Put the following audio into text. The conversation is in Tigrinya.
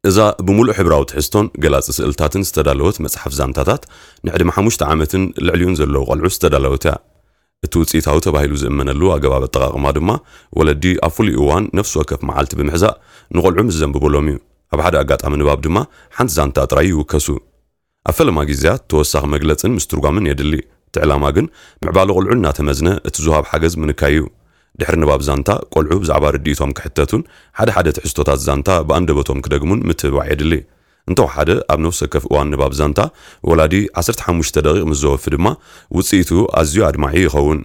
እዛ ብምሉእ ሕብራዊ ትሕዝቶን ገላጺ ስእልታትን ዝተዳለወት መጽሓፍ ዛንታታት፣ ንዕድመ ሓሙሽተ ዓመትን ልዕሊኡን ዘለዉ ቈልዑ ዝተዳለወት እያ። እቲ ውጽኢታዊ ተባሂሉ ዝእመነሉ ኣገባብ ኣጠቓቕማ ድማ፣ ወለዲ ኣብ ፍሉይ እዋን ነፍሲ ወከፍ መዓልቲ ብምሕዛእ ንቖልዑ ምስ ዘንብቡሎም እዩ። ኣብ ሓደ ኣጋጣሚ ንባብ ድማ ሓንቲ ዛንታ ጥራይ ይውከሱ። ኣብ ፈለማ ግዜያት ተወሳኺ መግለጽን ምስትርጓምን የድሊ። እቲ ዕላማ ግን ምዕባለ ቆልዑ እናተመዝነ እቲ ዝወሃብ ሓገዝ ምንካይ እዩ። ድሕሪ ንባብ ዛንታ፣ ቆልዑ ብዛዕባ ርድኢቶም ክሕተቱን ሓደ ሓደ ትሕዝቶታት ዛንታ ብኣንደበቶም ክደግሙን ምትብባዕ የድሊ። እንተወሓደ ኣብ ነፍሲ ወከፍ እዋን ንባብ ዛንታ፣ ወላዲ ዓሰርተ ሓሙሽተ ደቂቕ ምስ ዘወፊ ድማ ውጽኢቱ ኣዝዩ ኣድማዒ ይኸውን።